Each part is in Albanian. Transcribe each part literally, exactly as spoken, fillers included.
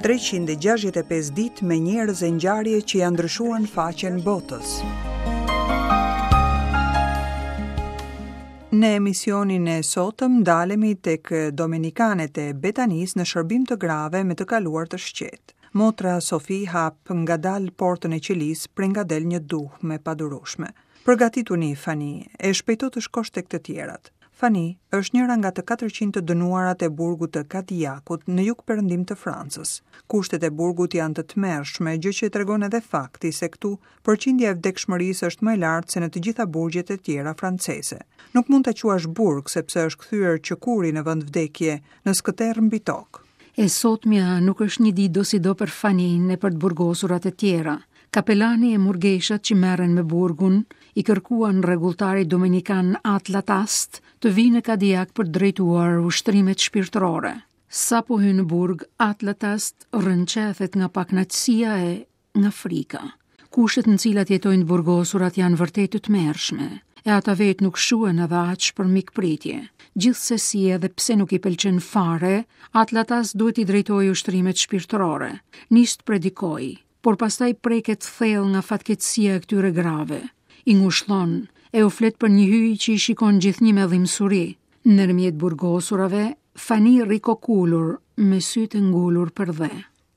treqind e gjashtëdhjetë e pesë ditë me njerëz e ngjarje që janë ndryshuar në faqen botës. Në emisionin e sotëm ndalemi tek Dominikanet e Betanisë në shërbim të grave me të kaluar të shqet. Motra Sofi hap ngadalë portën e qelisë, prej nga del një duhmë e padurueshme. Përgatituni, Fani, e shpejto të shkosh tek të tjerat. Fani është njëra nga të katërqind të dënuarat e burgut të Kadijakut në jug perëndim të Francës. Kushtet e burgut janë të tmerrshme, gjë që e tregon edhe fakti se këtu përqindja e vdekshmërisë është më e lartë se në të gjitha burgjet e tjera franceze. Nuk mund ta quash burg sepse është kthyer qëkuri në vend vdekje, në skëterr mbi tokë. E sotmja nuk është një ditë dosido për Fanin e për të burgosurat e tjera. Kapelani e murgeshat që merren me burgun i kërkuan rregulltarit dominikan At Latast të vinë në Kadijak për të drejtuar ushtrimet shpirtërore. Sa po hyn në burg, At Latast rrënqethet nga pakënaqësia e nga frika. Kushtet në cilat jetojnë të burgosurat janë vërtet të tmerrshme, e ata vetë nuk shuhen edhe aq për mikpritje. Gjithsesi, edhe pse nuk i pëlqen fare, At Latast duhet i drejtojë ushtrimet shpirtërore. Nis të predikoj, por pastaj preket thellë nga fatkeqësia e këtyre grave. I ngushllon, e u flet për një hyj që i shikon gjithnjë me dhimbsuri. Ndërmjet burgosurave, Fani rri kokulur, me sytë ngulur për dhe.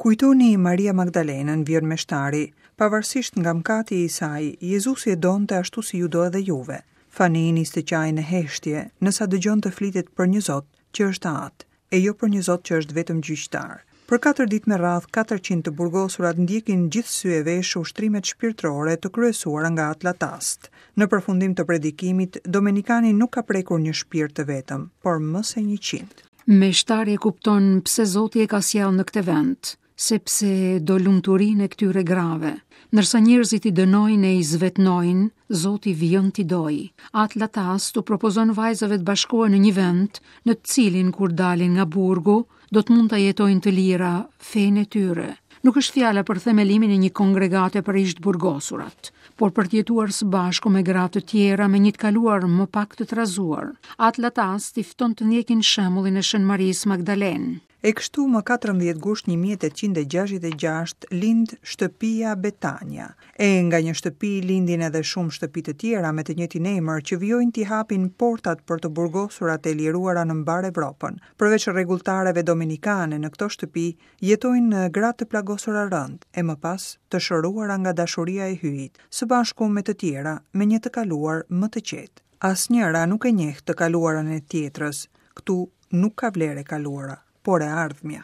Kujtoni Maria Magdalenën, vjen meshtari, pavarësisht nga mëkati i saj, Jezusi e donte ashtu si ju do edhe juve. Fani nis të qajë në heshtje, nësa dëgjon të flitet për një Zot që është atë, e jo për një Zot që është vetëm gjyqtar. Për katër ditë me radhë, katërqind të burgosurat ndjekin gjithë sy e vesh ushtrimet shpirtërore të kryesuara nga At Latast. Në përfundim të predikimit, Dominikani nuk ka prekur një shpirt të vetëm, por më se njëqind. Meshtari e kupton pse Zoti e ka sjellë në këtë vend, sepse do lumturinë e këtyre grave. Ndërsa njerëzit i dënojnë e i zvetnojnë, Zoti vijon t'i dojë. At Latast u propozon vajzave të bashkohen në një vend, në të cilin kur dalin nga burgu, do të mund ta jetojnë të lira fenë e tyre. Nuk është fjala për themelimin e një kongregate për ish të burgosurat, por për të jetuar së bashku me gra të tjera me një të kaluar më pak të trazuar. At Latast i fton të ndjekin shembullin e Shën Marisë Magdalenë. E kështu më katërmbëdhjetë gusht një mijë e tetëqind e gjashtëdhjetë e gjashtë lind shtëpia Betania. E nga një shtëpi lindin edhe shumë shtëpi të tjera me të njëjtin emër që vijojnë t'i hapin portat për të burgosurat e liruara në mbarë Evropën. Përveç rregulltareve dominikane në këto shtëpi jetojnë gra të plagosura rënd e më pas të shëruara nga dashuria e Hyjit, së bashku me të tjera me një të kaluar më të qetë. Asnjëra nuk e njeh të kaluarën e tjetrës. Këtu nuk ka vlerë e kaluara, por e ardhmja.